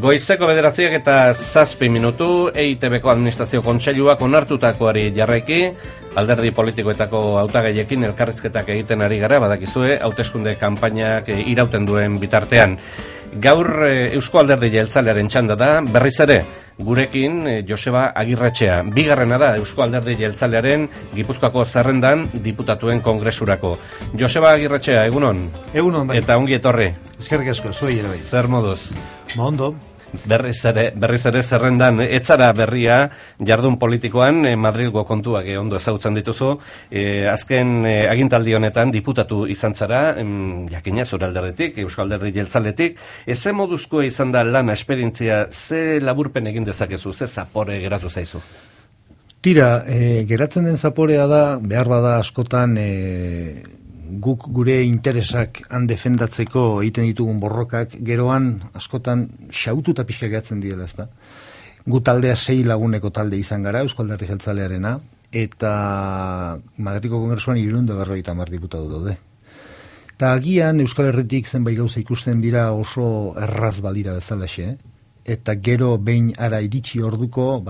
Goizeko 9:07 EITBko administrazio kontseiluak onartutakoari jarraiki, alderdi politikoetako hautagaiekin elkarrizketak egiten ari gara, badakizue, hauteskunde kanpainak irauten duen bitartean. Gaur Eusko Alderdi Jeltzalearen txanda da, berriz ere, gurekin Joseba Agirretxea. Bigarrena da Eusko Alderdi Jeltzalearen Gipuzkoako zerrendan diputatuen kongresurako. Joseba Agirretxea, egunon? Egunon, bai. Eta ongi etorri. Eskerrik asko, zuei ere bai. Zer moduz? Ondo. Berriz ere zerrendan, etzara berria jardun politikoan, Madrilgo kontuak ondo ezagutzen dituzu, azken agintaldi honetan diputatu izan zara, jakina zure alderdetik, Euskal Alderdi Jeltzaletik, ze moduzkoa izan da lana esperientzia, ze laburpen egin dezakezu, ze zapore geratu zaizu? Tira, geratzen den zaporea da, behar bada askotan, guk gure interesak han defendatzeko egiten ditugun borrokak, geroan askotan xaututa pixka gehatzen direla, ezta? Gu taldea 6 laguneko talde izan gara, Euskal Alderdi Jeltzalearena, eta Madrilgo Kongresuan 350 diputatu daude. Eta agian Euskal Herritik zenbait gauza ikusten dira oso erraz balira bezalaxe, eta gero behin ara iritsi orduko,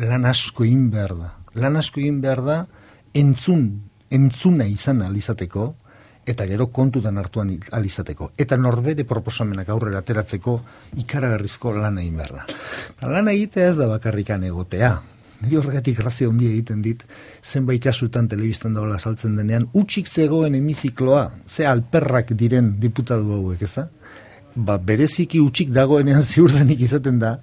lan asko egin behar da. Lan asko egin behar da entzuna izan alizateko, eta gero kontutan hartuan alizateko. Eta norbere proposamenak aurrera ateratzeko ikaragarrizko lana egin behar da. Lana egitea ez da bakarrikan egotea. Nire horregatik grazia handia egiten dit, zenbait kasutan telebistan dagoela saltzen denean, utxik zegoen hemizikloa, ze alperrak diren diputatu hauek, ez da? Bereziki utxik dagoenean ziurdenik izaten da,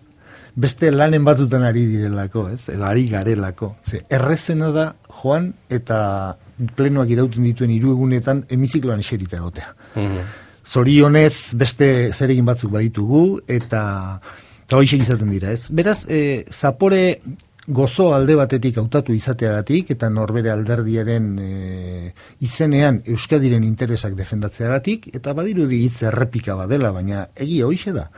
beste lanen batzutan ari direlako, ez? Edo ari garelako. Errezena da joan eta plenoak irauten dituen 3 egunetan hemizikloan eserita egotea. Zorionez beste zeregin batzuk baditugu eta hoixe izaten dira, ez? Beraz, zapore gozo alde batetik hautatu izateagatik eta norbere alderdiaren izenean Euskadiren interesak defendatzeagatik, eta badirudi hitz errepika badela, baina egia hoixe da.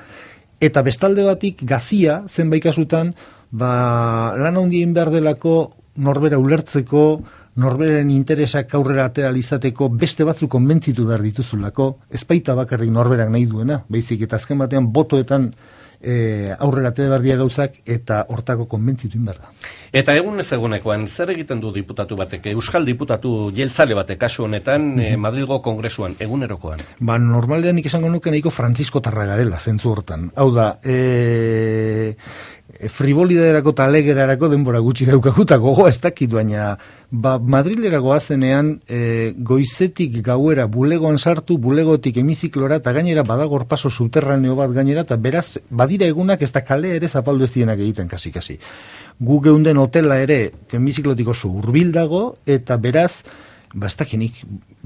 Eta bestalde batik gazia, zenbait kasutan, lan handien behar delako norbera ulertzeko, norberen interesak aurrera atera izateko beste batzuk konbentzitu behar dituzulako, ez baita bakarrik norberak nahi duena, baizik eta azken batean botoetan aurrera atera behar dira gauzak eta hortako konbentzitu behar da. Eta egun ez egunekoan, zer egiten du diputatu batek, Euskal diputatu jeltzale batek kasu honetan, Madrilgo Kongresuan, egunerokoan? Normalean nik esango nuke nahiko Francisco Tarragarela, zentzu hortan. Hau da, frivolidaderako eta alegerarako denbora gutxi daukaguta gogoa ez dakit, baina Madrilera goazenean goizetik gauera bulegoan sartu, bulegotik hemiziklora, eta gainera badagor paso subterraneo bat gainera, eta beraz badira egunak ez da kale ere zapaldu ez dienak egiten kasi. Gu geunden hotela ere hemiziklotik oso hurbil dago, eta beraz ez dakinik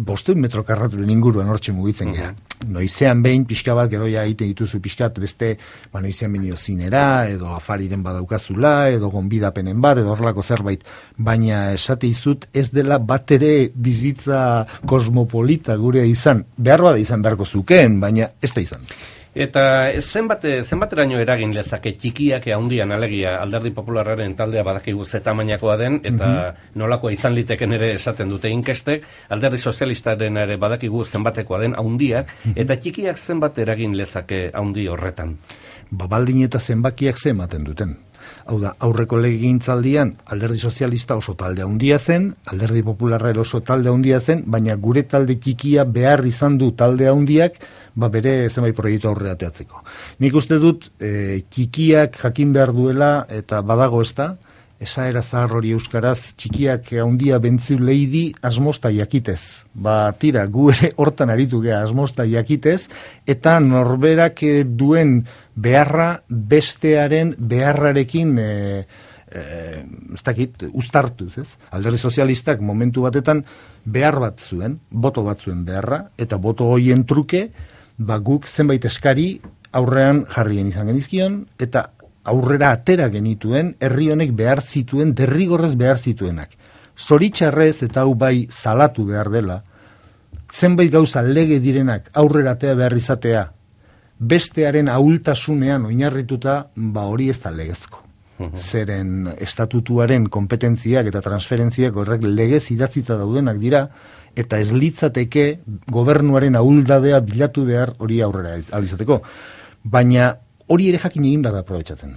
500 metro karraturen inguruan hortxe mugitzen gara. Noizean behin pixka bat, gero ja egiten dituzu pixkat beste, noizean behin zinera, edo afariren badaukazula, edo gonbidapenen bat, edo horrelako zerbait, baina esate izut ez dela bat ere bizitza kosmopolita gurea izan, behar bada izan beharko zukeen, baina ez da izan. Eta zenbateraino eragin lezake txikiak handian alegia Alderdi Popularraren taldea badakigu ze tamainakoa den, eta nolakoa izan liteken ere esaten dute inkestek, Alderdi Sozialistaren ere badakigu zenbatekoa den handiak, eta txikiak zenbat eragin lezake handi horretan? Baldin eta zenbakiak ze ematen duten. Hau da, aurreko legegintzaldian Alderdi Sozialista oso talde handia zen, Alderdi Popularra oso talde handia zen, baina gure talde txikia behar izan du talde handiak, bere zenbait proiektu aurrera ateatzeko. Nik uste dut txikiak jakin behar duela, eta badago ez da, esaera zahar hori euskaraz, txikiak handia bentziu leidi asmosta jakitez. Tira, gu ere hortan aritu gea asmosta jakitez, eta norberak duen beharra bestearen beharrarekin ez dakit, uztartuz, ez? Alderdi Sozialistak momentu batetan behar bat zuen, boto bat zuen beharra, eta boto hoien truke, guk zenbait eskari aurrean jarrien izan genizkion, eta aurrera atera genituen, herri honek behar zituen, derrigorrez behar zituenak. Zoritxarrez eta hau bai salatu behar dela, zenbait gauza lege direnak aurrera atera behar izatea, bestearen ahultasunean oinarrituta, hori ez da legezko. Zeren estatutuaren kompetentziak eta transferentziak horrek legez idatzita daudenak dira, eta ez litzateke gobernuaren ahuldadea bilatu behar hori aurrera alizateko. Baina hori ere jakin egin behar da aprobetxatzen.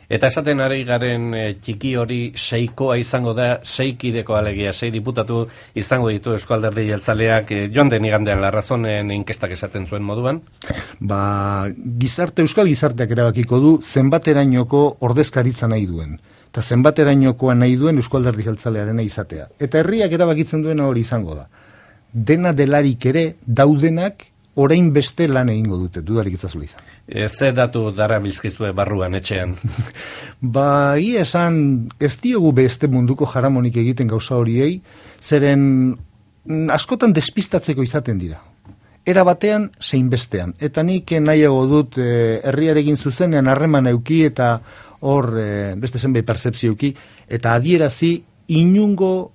Eta esaten ari garen txiki hori seikoa izango da, seikideko alegia, 6 diputatu izango ditu Eusko Alderdi Jeltzaleak joan den igandean Larrazonen inkestak esaten zuen moduan? Euskal gizarteak erabakiko du zenbaterainoko ordezkaritza nahi duen. Eta zenbaterainokoa nahi duen Eusko Alderdi Jeltzalearena izatea. Eta herriak erabakitzen duena hori izango da. Dena delarik ere daudenak orain beste lan egingo dute, dudarik itzazula izan. Ze datu dara bilzkizue barruan etxean? Ia esan, ez diogu beste munduko jaramonik egiten gauza horiei, zeren askotan despistatzeko izaten dira. Era batean, zein bestean. Eta nik nahiago dut herriarekin zuzenean harreman euki eta hor beste zenbait pertzepzioki, eta adierazi inungo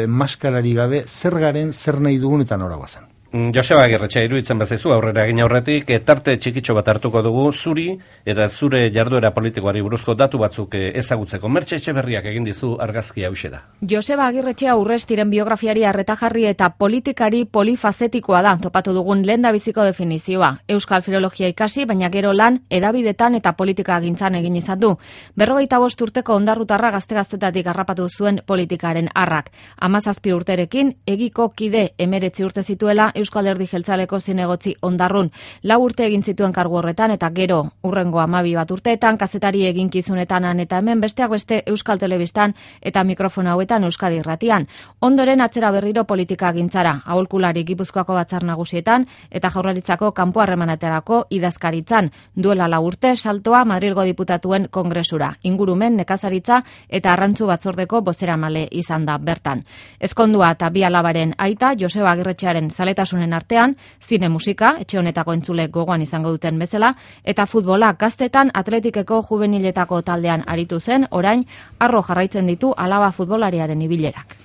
maskarari gabe zer garen, zer nahi dugun eta nora guazan. Joseba Agirretxea, iruditzen bazaizu aurrera egin aurretik, tarte txikitxo bat hartuko dugu zuri eta zure jarduera politikoari buruzko datu batzuk ezagutzeko. Mertxe Etxeberriak egin dizu argazkia hauxe da. Joseba Agirretxea Urrestiren biografiari arreta jarri eta politikari polifazetikoa da, topatu dugun lehendabiziko definizioa. Euskal filologia ikasi, baina gero lan, edabidetan eta politika gintzan egin izan du. 45 urteko ondarrutarra gazte-gaztetatik harrapatu zuen politikaren arrak. 17 urterekin, egiko kide 19 urte zituela Euskal Alderdi Jeltzaleko zinegotzi Ondarrun. 4 urte egin zituen kargu horretan eta gero hurrengo 12 urteetan kazetari eginkizunetan eta hemen besteak beste Euskal Telebistan eta mikrofona hauetan Euskadi Irratian. Ondoren atzera berriro politika gintzara, aholkulari Gipuzkoako Batzar Nagusietan eta Jaurlaritzako kanpo harremanetarako idazkaritzan. Duela 4 urte saltoa Madrilgo diputatuen kongresura, ingurumen, nekazaritza eta arrantzu batzordeko bozeramale izan da bertan. Ezkondua eta 2 alabaren aita Joseba Agirretxearen zaletasunen artean, zine musika, etxe honetako entzule gogoan izango duten bezala, eta futbola gaztetan atletikeko juveniletako taldean aritu zen, orain harro jarraitzen ditu alaba futbolariaren ibilerak.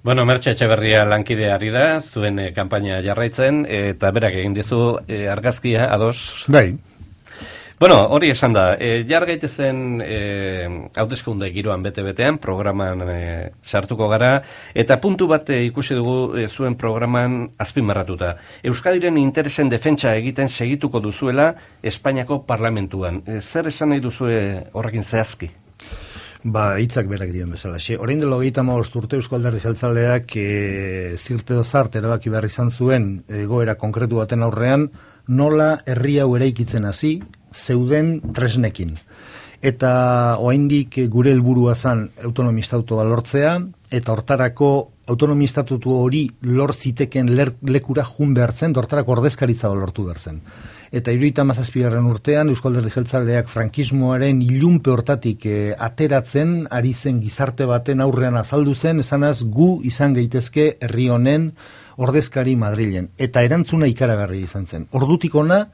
Bueno, Mertxe Etxeberria lankide ari da, zuen kanpaina jarraitzen, eta berak egin dizu argazkia, ados? Bai. Bueno, hori esan da, jar gaitezen hauteskunde giroan bete-betean, programan sartuko gara, eta puntu bat ikusi dugu zuen programan azpimarratuta. Euskadiren interesen defentsa egiten segituko duzuela Espainiako parlamentuan. Zer esan nahi duzue horrekin zehazki? Hitzak berak dion bezala. Orain dela 35 urte Eusko Alderdi Jeltzaleak zirte dozart erabaki behar izan zuen egoera konkretu baten aurrean, nola herri hau eraikitzen hasi, zeuden tresnekin. Eta oraindik gure helburua zen autonomistatutua lortzea, eta hortarako autonomistatutu hori lortziteken lekura jun behartzen, hortarako ordezkaritza lortu behartzen. Eta 77. urtean Eusko Alderdi Jeltzaleak frankismoaren ilunpe hortatik ateratzen ari zen gizarte baten aurrean azaldu zen, esanaz gu izan gaitezke herri honen ordezkari Madrilen. Eta erantzuna ikaragarri izan zen. Ordutik ona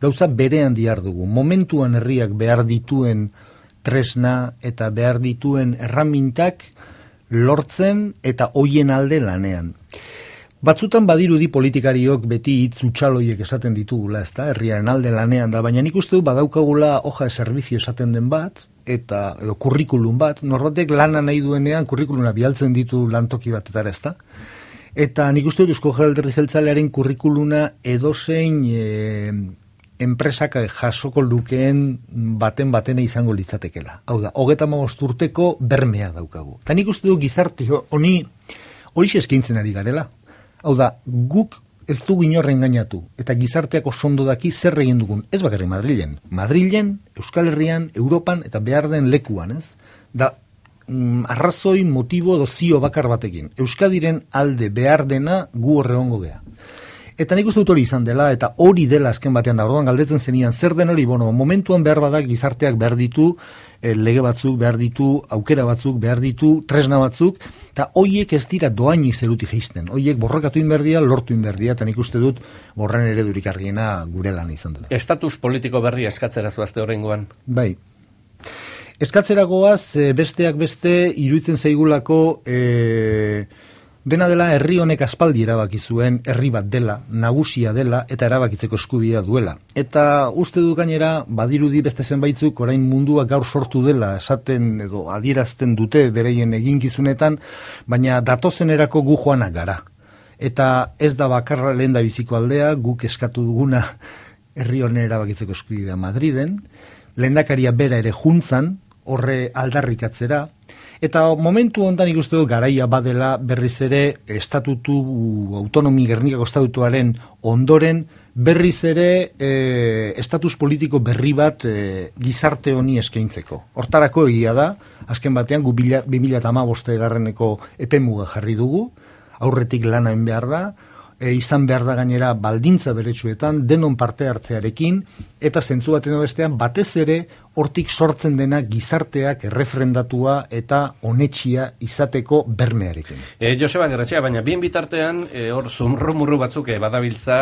gauza berean dihardugu. Momentuan herriak behar dituen tresna eta behar dituen erramintak lortzen eta hoien alde lanean. Batzutan badirudi politikariok beti hitz utxaloiek esaten ditugula, ezta, herriaren alde lanean da, baina nik uste du badaukagula hoja de servizio esaten den bat, eta edo kurrikulum bat, norbatek lana nahi duenean kurrikuluna bialtzen ditu lantoki batetara, ezta? Eta nik uste dut Eusko Alderdi Jeltzalearen kurrikuluna edozein enpresak jasoko lukeen batena izango litzatekela. Hau da, 35 urteko bermea daukagu. Eta nik uste dut gizarte hori eskaintzen ari garela. Hau da, guk ez dugu inorren gainatu, eta gizarteak oso ondo daki zer egin dugun, ez bakarrik Madrilen. Madrilen, Euskal Herrian, Europan, eta behar den lekuan, ez? Da, arrazoi, motibo, dozio bakar batekin. Euskadiren alde behar dena gu horregongo gea. Eta nik uste dut hori izan dela, eta hori dela azken batean da, orduan galdetzen zenian, zer den hori, momentuan behar badak gizarteak behar ditu, lege batzuk, behar ditu, aukera batzuk, behar ditu, tresna batzuk, eta hoiek ez dira doainik zeruti geizten. Hoiek borrokatu inberdia, lortu inberdia, eta nik uste dut borren eredurik argiena gure lan izan dela. Estatus politiko berri eskatzeraz bazte horrengoan? Bai. Eskatzeragoaz, besteak beste, iruditzen zaigulako dena dela herri honek aspaldi erabaki zuen herri bat dela, nagusia dela eta erabakitzeko eskubidea duela. Eta uste du gainera badirudi beste zenbaitzuk orain mundua gaur sortu dela esaten edo adierazten dute bereien eginkizunetan, baina datozenerako gu joanak gara. Eta ez da bakarra lehendabiziko aldea, guk eskatu duguna herri honen erabakitzeko eskubidea Madriden, lehendakaria bera ere juntzan, horre aldarrikatzera, eta momentu hontan ikuste dut garaia badela berriz ere Gernikako estatutuaren ondoren berriz ere estatus politiko berri bat gizarte honi eskaintzeko. Hortarako egia da, azken batean 2015 epemuga jarri dugu, aurretik lana egin behar da, izan behar da gainera baldintza beretsuetan, denon parte hartzearekin, eta zentzu baten bestean batez ere hortik sortzen dena gizarteak erreferendatua eta onetxia izateko bermearekin. Joseba Gerretxea, baina bien bitartean, hor zumrumurru batzuk badabiltza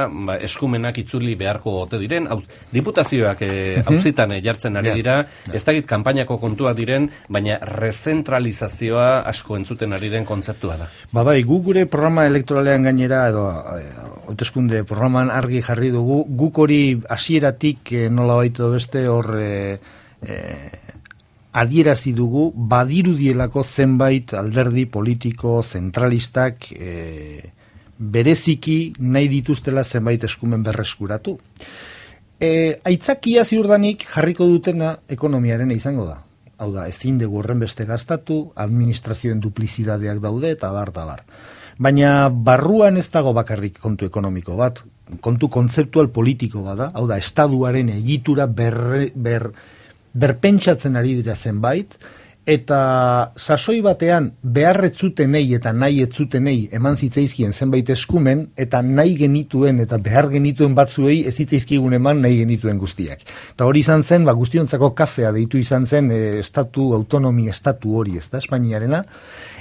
eskumenak itzuli beharko ote diren, diputazioak auzitan jartzen ari dira, ez dakit kanpainako kontuak diren, baina rezentralizazioa asko entzuten ari den kontzeptua da. Bai, gu gure programa elektoralean gainera, edo hauteskunde programan argi jarri dugu, guk hori hasieratik nola baitu beste hor adierazi dugu badirudielako zenbait alderdi politiko zentralistak bereziki nahi dituztela zenbait eskumen berreskuratu. Aitzakia ziurdanik jarriko dutena ekonomiaren izango da. Hau da, ezin dugu horren beste gastatu, administrazioen duplizidadeak daude eta bar. Baina barruan ez dago bakarrik kontu ekonomiko bat, kontu kontzeptual politiko bada, hau da, estaduaren egitura berpentsatzen ari dira zenbait, eta sasoi batean beharretzutenei eta nahi etzutenei eman zitzaizkien zenbait eskumen, eta nahi genituen eta behar genituen batzuei ez zitzaizkigun eman nahi genituen guztiak. Eta hori izan zen, guztiontzako kafea deitu izan zen autonomi estatu hori, ez da, Espainiarena,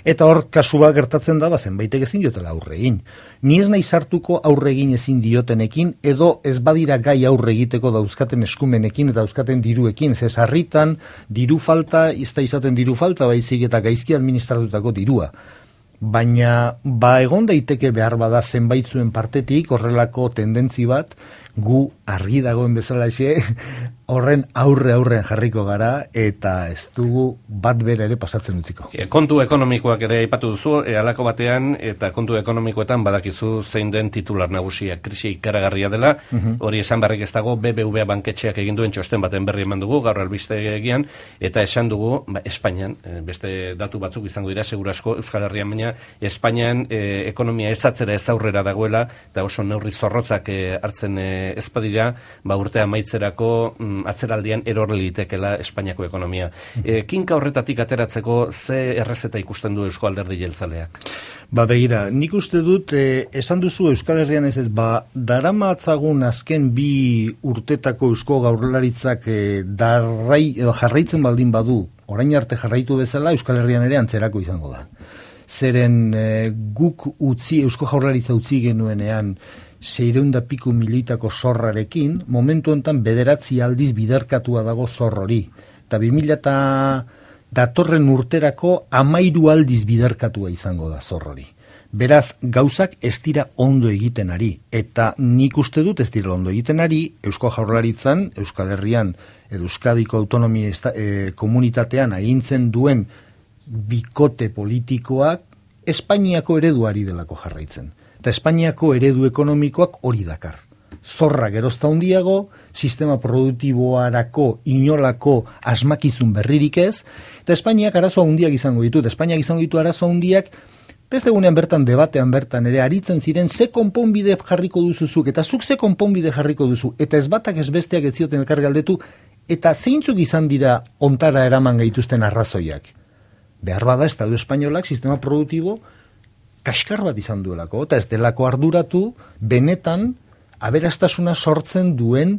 eta hor kasua gertatzen da, zenbaitek ezin diotela aurre egin. Ni ez nahi sartuko aurre egin ezin diotenekin, edo ez badira gai aurre egiteko dauzkaten eskumenekin eta dauzkaten diruekin, ze sarritan diru falta, ez da izaten diru falta, baizik eta gaizki administratutako dirua. Baina, egon daiteke behar bada zenbaitzuen partetik, horrelako tendentzi bat, gu argi dagoen bezala horren aurrean jarriko gara, eta ez dugu bat bera ere pasatzen utziko. Kontu ekonomikoak ere aipatu duzu, halako batean, eta kontu ekonomikoetan badakizu zein den titular nagusia, krisi ikaragarria dela, hori esan barrik ez dago, BBVA banketxeak egin duen txosten baten berri eman dugu, gaur albistegian, eta esan dugu, Espainian, beste datu batzuk izango dira, segurasko Euskal Herrian, baina Espainian ekonomia ez atzera ez aurrera dagoela, eta oso neurri zorrotzak hartzen ez badira, urtea amaitzerako atzeraldian eror litekela Espainiako ekonomia. Kinka horretatik ateratzeko ze errezeta ikusten du Eusko Alderdi Jeltzaleak? Begira, nik uste dut, esan duzu Euskal Herrian ez daramatzagun azken 2 urtetako Eusko Jaurlaritzak jarraitzen baldin badu, orain arte jarraitu bezala, Euskal Herrian ere antzerako izango da. Zeren guk Eusko Jaurlaritza utzi genuenean 600 piku milioitako zorrarekin, momentu honetan 9 aldiz biderkatua dago zor hori. Eta 2000 datorren urterako 13 aldiz biderkatua izango da zor hori. Beraz, gauzak ez dira ondo egiten ari. Eta nik uste dut ez dira ondo egiten ari, Eusko Jaurlaritzan, Euskal Herrian, Euskadiko autonomia komunitatean agintzen duen bikote politikoak Espainiako ereduari delako jarraitzen. Eta Espainiako eredu ekonomikoak hori dakar. Zorra gerozta handiago, sistema produktiboarako inolako asmakizun berririk ez, eta Espainiak arazo handiak izango ditut. Espainiak izango ditu arazo handiak, beste egunean bertan debatean bertan ere aritzen ziren ze konponbide jarriko duzuzuk, eta zuk ze konponbide jarriko duzu, eta ez batak ez besteak ez zioten elkar galdetu, eta zeintzuk izan dira ontara eraman gaituzten arrazoiak. Behar bada Estatu Espainolak sistema produktibo kaskar bat izan duelako, eta ez delako arduratu benetan aberastasuna sortzen duen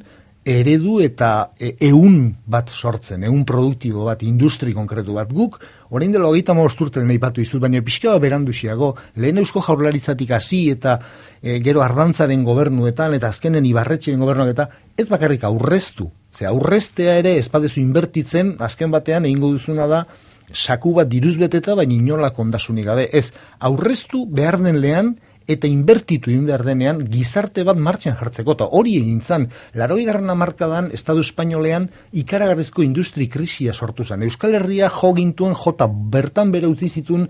eredu eta ehun bat sortzen, ehun produktibo bat, industri konkretu bat. Guk, orain dela 35 urte aipatu dizut, baina pixka beranduxiago, lehen Eusko Jaurlaritzatik hasi eta gero Ardantzaren gobernuetan eta azkenen Ibarretxeren gobernuak eta ez bakarrik aurreztu. Aurreztea ere ez badezu inbertitzen, azken batean egingo duzuna da saku bat diruz beteta, baina inolako ondasunik gabe. Ez, aurreztu behar den lehan eta inbertitu egin behar denean gizarte bat martxan jartzeko. Eta hori egin zan, 80. hamarkadan Estatu Espainolean ikaragarrizko industri krisia sortu zen. Euskal Herria jo gintuen bertan bere utzi zituen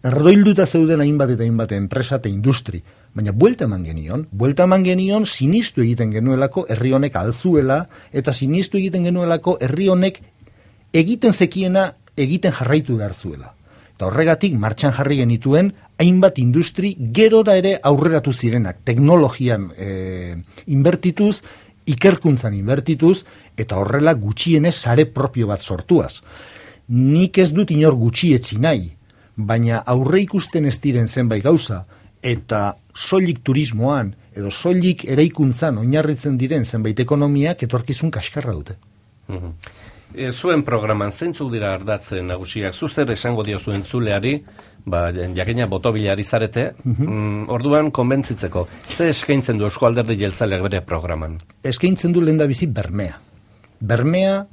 erdoilduta zeuden hainbat eta hainbat enpresa eta industri. baina buelta eman genion sinistu egiten genuelako herri honek alzuela, eta sinistu egiten genuelako herri honek egiten zekiena egiten jarraitu behar zuela. Eta horregatik martxan jarri genituen hainbat industri gerora ere aurreratu zirenak, teknologian inbertituz, ikerkuntzan inbertituz, eta horrela gutxienez sare propio bat sortuaz. Nik ez dut inor gutxietsi nahi, baina aurre ikusten ez diren zenbait gauza, eta soilik turismoan, edo soilik eraikuntzan oinarritzen diren zenbait ekonomiak etorkizun kaskarra dute. Zuen programan zeintzuk dira ardatzen nagusiak? Zuzer esango diozu entzuleari, jakina botobilari zarete, orduan konbentzitzeko. Ze eskaintzen du Eusko Alderdi Jeltzaleak bere programan? Eskaintzen du lehendabizi bermea. Bermea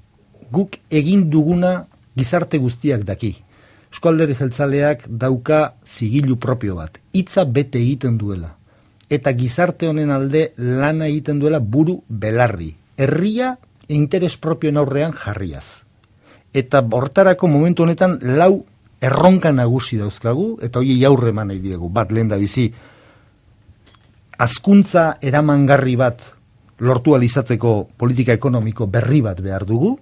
guk egin duguna gizarte guztiak daki. Eusko Alderdi Jeltzaleak dauka zigilu propio bat. Hitza bete egiten duela. Eta gizarte honen alde lana egiten duela buru belarri. Herria interes propioen aurrean jarriaz. Eta hortarako momentu honetan 4 erronka nagusi dauzkagu, eta hori aurre eman nahi diegu. Bat, lehendabizi, hazkuntza eramangarri bat lortu alizateko politika ekonomiko berri bat behar dugu.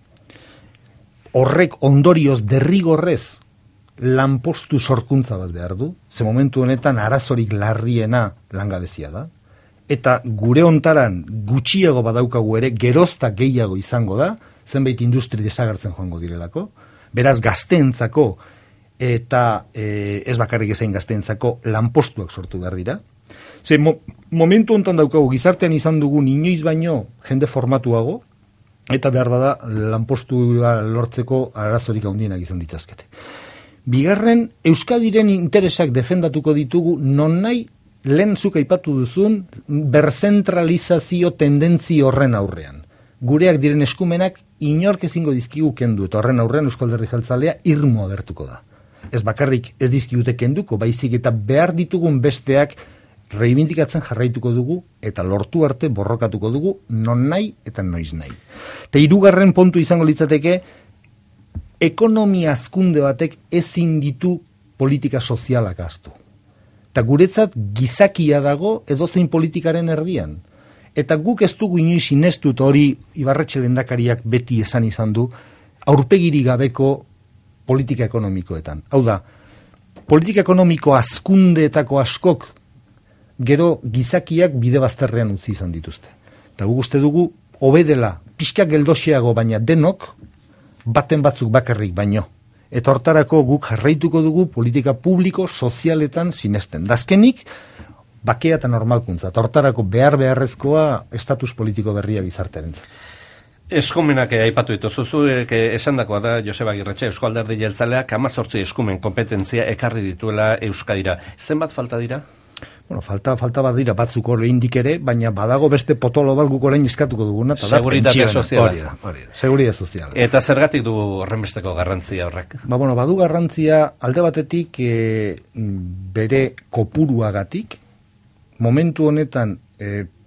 Horrek ondorioz derrigorrez lanpostu sorkuntza bat behar du. Ze momentu honetan arazorik larriena langabezia da. Eta gure hontaran gutxiago badaukagu ere, gerozta gehiago izango da, zenbait industri desagertzen joango direlako. Beraz, gazteentzako eta ez bakarrik ezain gazteentzako lanpostuak sortu behar dira. Ze momentu hontan daukagu gizartean izan dugun inoiz baino jende formatuago, eta behar bada lanpostua lortzeko arazorik handienak izan ditzazkete. Bigarren, Euskadiren interesak defendatuko ditugu non nahi lehen zuk aipatu duzun berzentralizazio tendentzi horren aurrean. Gureak diren eskumenak inork ezingo dizkigu kendu, eta horren aurrean Eusko Alderdi Jeltzalea irmo agertuko da. Ez bakarrik ez dizkigute kenduko, baizik eta behar ditugun besteak reibindikatzen jarraituko dugu, eta lortu arte borrokatuko dugu non nahi eta noiz nahi. Eta 3. puntu izango litzateke, ekonomia hazkunde batek ezin ditu politika sozialak ahaztu. Eta guretzat gizakia dago edozein politikaren erdian. Eta guk ez dugu inoiz sinestu, eta hori Ibarretxe lehendakariak beti esan izan du, aurpegiri gabeko politika ekonomikoetan. Hau da, politika ekonomiko hazkundeetako askok gero gizakiak bide bazterrean utzi izan dituzte. Eta guk uste dugu, hobedela, pixkak geldoxeago baina denok, baten batzuk bakarrik baino. Eta hortarako guk jarraituko dugu politika publiko sozialetan sinesten. Dazkenik, bakea eta normalkuntza. Eta hortarako beharrezkoa estatus politiko berria gizartearentzat. Eskumenak aipatu dituzu, esandakoa da Joseba Agirretxe, Eusko Alderdi Jeltzaleak 18 eskumen kompetentzia ekarri dituela Euskadira. Zenbat falta dira? Bueno, falta bat dira batzuk oraindik ere, baina badago beste potolo bat guk orain eskatuko duguna, eta da Seguritate soziala. Seguridade soziala. Eta zergatik du horrenbesteko garrantzia horrek? Badu garrantzia alde batetik bere kopuruagatik, momentu honetan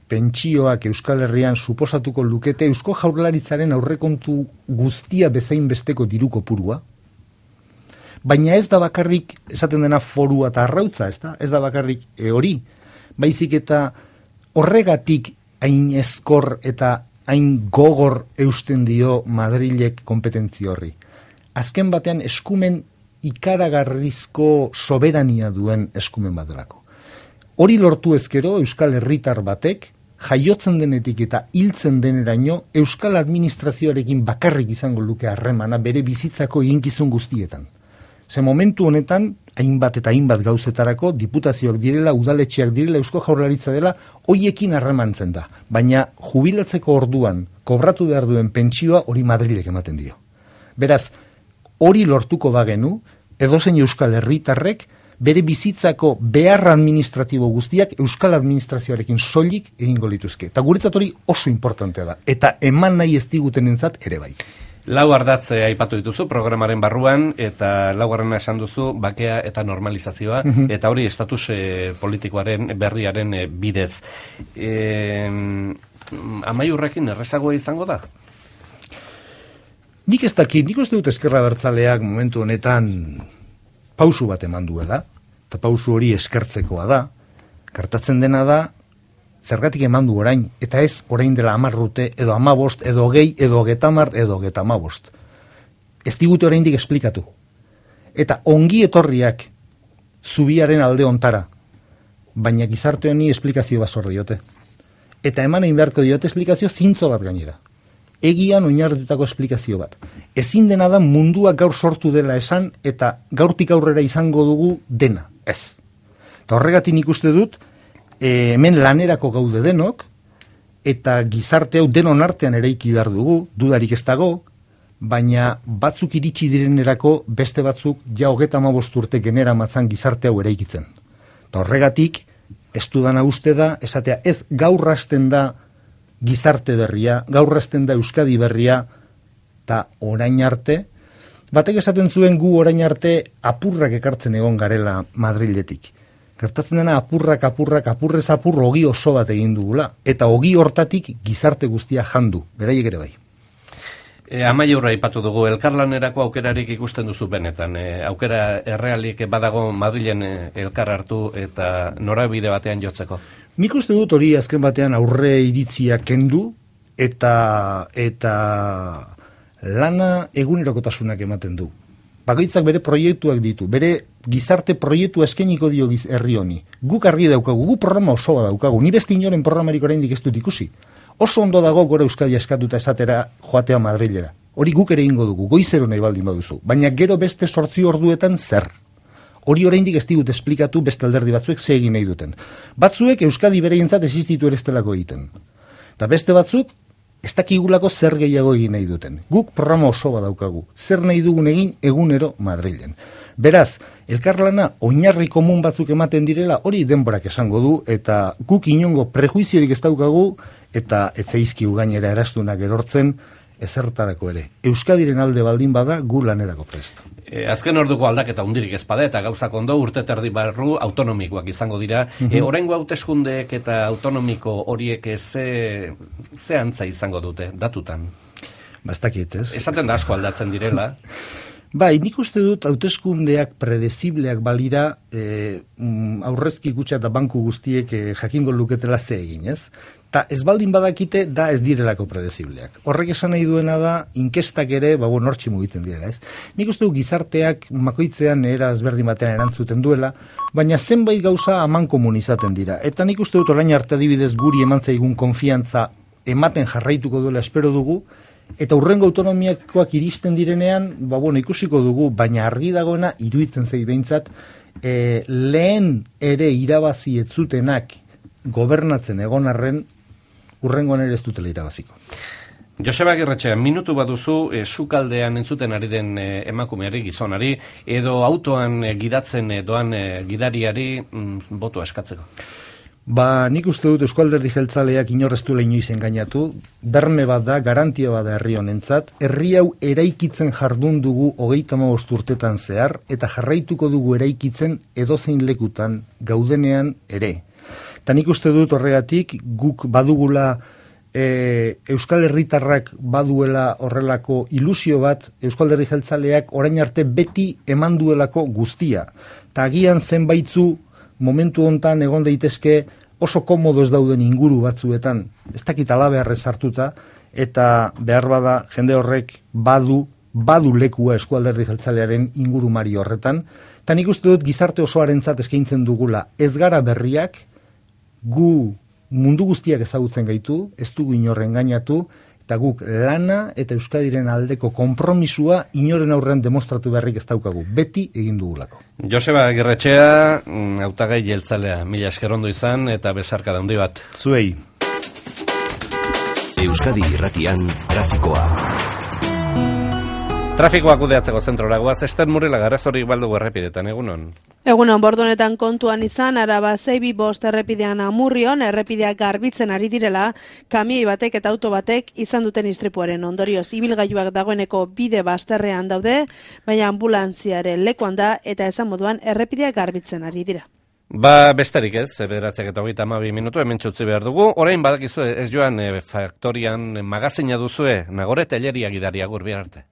pentsioak Euskal Herrian suposatuko lukete Eusko Jaurlaritzaren aurrekontu guztia bezain besteko diru kopurua, baina ez da bakarrik esaten dena forua eta arrautza, ez da bakarrik hori, baizik eta horregatik hain ezkor eta hain gogor eusten dio Madrilek kompetentzi horri. Azken batean eskumen ikaragarrizko soberania duen eskumen bat delako. Hori lortu ezkero Euskal Herritar batek jaiotzen denetik eta hiltzen deneraino Euskal Administrazioarekin bakarrik izango luke harremana bere bizitzako eginkizun guztietan. Ze momentu honetan, hainbat eta hainbat gauzetarako, diputazioak direla, udaletxeak direla, Eusko Jaurlaritza dela, hoiekin harremantzen da. Baina jubilatzeko orduan, kobratu behar duen pentsioa hori Madrilek ematen dio. Beraz, hori lortuko bagenu, edozein Euskal Herritarrek, bere bizitzako behar administratibo guztiak Euskal Administrazioarekin soilik egingo lituzke. Eta guretzat hori oso importantea da. Eta eman nahi ez digutenentzat ere bai. 4 ardatze aipatu dituzu programaren barruan, eta 4. esan duzu bakea eta normalizazioa, eta hori estatus politikoaren berriaren bidez. Amaiurrekin errezagoa izango da? Nik ez dakit, nik uste dut Ezkerra Abertzaleak momentu honetan pausu bat eman duela, eta pausu hori eskertzekoa da, Gertatzen dena da, zergatik eman du orain, eta ez orain dela 10 urte, edo 15, edo 20, edo 30, edo 35. Ez digute oraindik esplikatu. Eta ongi etorriak zubiaren alde ontara, baina gizarte honi esplikazio bat zor diote. Eta eman egin beharko diote esplikazio zintzo bat gainera. Egian oinarritutako esplikazio bat. Ezin dena da mundua gaur sortu dela esan, eta gaurtik aurrera izango dugu dena. Ez. Eta horregatik nik uste dut, hemen lanerako gaude denok, eta gizarte hau denon artean eraiki behar dugu, dudarik ez dago, baina batzuk iritsi direnerako beste batzuk ja 35 urte genera matzan gizarte hau eraikitzen. Eta horregatik, ez dudana uste da, esatea ez gaur hasten da gizarte berria, gaur hasten da Euskadi berria, eta orain arte, batek esaten zuen gu orain arte apurrak ekartzen egon garela Madriletik. Gertatzen dena apurrez apur ogi oso bat egin dugula, eta ogi hortatik gizarte guztia jandu, beraiek ere bai. Amaiurra ipatu dugu, elkarlanerako aukerarik ikusten duzu benetan. Aukera errealik badago Madrilen elkar hartu eta norabide batean jotzeko. Nik uste dut hori azken batean aurre iritzia kendu eta lana egunerokotasunak ematen du. Bakoitzak bere proiektuak ditu, bere gizarte proiektua eskainiko dio herri honi. Guk argi daukagu, gu programa oso bat daukagu, ni beste inoren programarik oraindik ez dut ikusi. Oso ondo dago gora Euskadi eskatuta esatera joatea Madrilera. Hori guk ere ingo dugu, goizero nahi baldin baduzu. Baina gero beste 8 orduetan zer. Hori oraindik ez digut esplikatu beste alderdi batzuek ze egin nahi duten. Batzuek Euskadi bereientzat existitu ere estelako egiten. Eta beste batzuk ez dakigulako zer gehiago egin nahi duten. Guk programa oso bat daukagu. Zer nahi dugun egin egunero Madrilen. Beraz, elkarlana oinarri komun batzuk ematen direla, hori denborak esango du, eta guk inongo prejuiziorik ez daukagu, eta etzaizkiu gainera erastunak erortzen, ezertarako ere. Euskadiren alde baldin bada, gu lanerako prest. Azken orduko aldaketa hundirik ezpada eta gauzak ondo urte terdi barru autonomikoak izango dira. Oraingo hauteskundeek eta autonomiko horiek ze antza izango dute, datutan? Bastakit, ez? Esaten da asko aldatzen direla. Bai, nik uste dut hauteskundeak predezibleak balira aurrezki kutxa eta banku guztiek jakingo luketela ze egin, ez? Ta ez baldin badakite da ez direlako predezibleak. Horrek esan nahi duena da inkestak ere, nortxi mugitzen direla, ez? Nik uste dut gizarteak makoitzean era ezberdin batean erantzuten duela, baina zenbait gauza aman komun izaten dira. Eta nik uste dut orain arte adibidez guri emantzaigun konfiantza ematen jarraituko duela espero dugu, eta hurrengo autonomiakoak iristen direnean, ikusiko dugu, baina argi dagoena iruditzen zei behintzat, lehen ere irabazi ez zutenak gobernatzen egon arren, hurrengoan ere ez dutela irabaziko. Joseba Agirretxea, minutu baduzu sukaldean entzuten ari den emakumeari, gizonari, edo autoan gidatzen doan gidariari botoa eskatzeko? Nik uste dut Eusko Alderdi Jeltzaleak inorreztuela inoiz engainatu, berme bat da, garantia bat da herri honentzat, herri hau eraikitzen jardun dugu 35 urtetan zehar, eta jarraituko dugu eraikitzen edozein lekutan gaudenean ere. Eta nik uste dut horregatik guk badugula Euskal Herritarrak baduela horrelako ilusio bat Eusko Alderdi Jeltzaleak orain arte beti eman duelako guztia. Eta agian zenbaitzu momentu hontan egon daitezke oso komodo ez dauden inguru batzuetan, ez dakit alabeharrez hartuta, eta behar bada jende horrek badu lekua Eusko Alderdi Jeltzalearen ingurumari horretan, eta nik uste dut gizarte osoarentzat eskaintzen dugula ez gara berriak, gu mundu guztiak ezagutzen gaitu, ez dugu inorren gainatu, eta guk lana eta Euskadiren aldeko konpromisua inoren aurrean demostratu beharrik ez daukagu. Beti egin dugulako. Joseba Agirretxea, hautagai jeltzalea, mila esker ondo izan eta besarka handi bat. Zuei. Euskadi Irratian trafikoa. Trafikoak kudeatzeko zentrora goaz, Ester Murila Garazorik baldugu errepidetan, egunon? Egunon, bordonetan kontuan izan, Araba 625 errepidean Amurrion, errepideak garbitzen ari direla, kamioi batek eta auto batek izan duten istripuaren ondorioz. Ibilgailuak dagoeneko bide bazterrean daude, baina ambulantziaren lekuan da eta esan moduan errepideak garbitzen ari dira. Besterik ez, 9:32 minutu hemen txutzi behar dugu. Orain badakizue ez joan faktorian magazina duzue, Nagore Telleria gidaria gur bihar arte.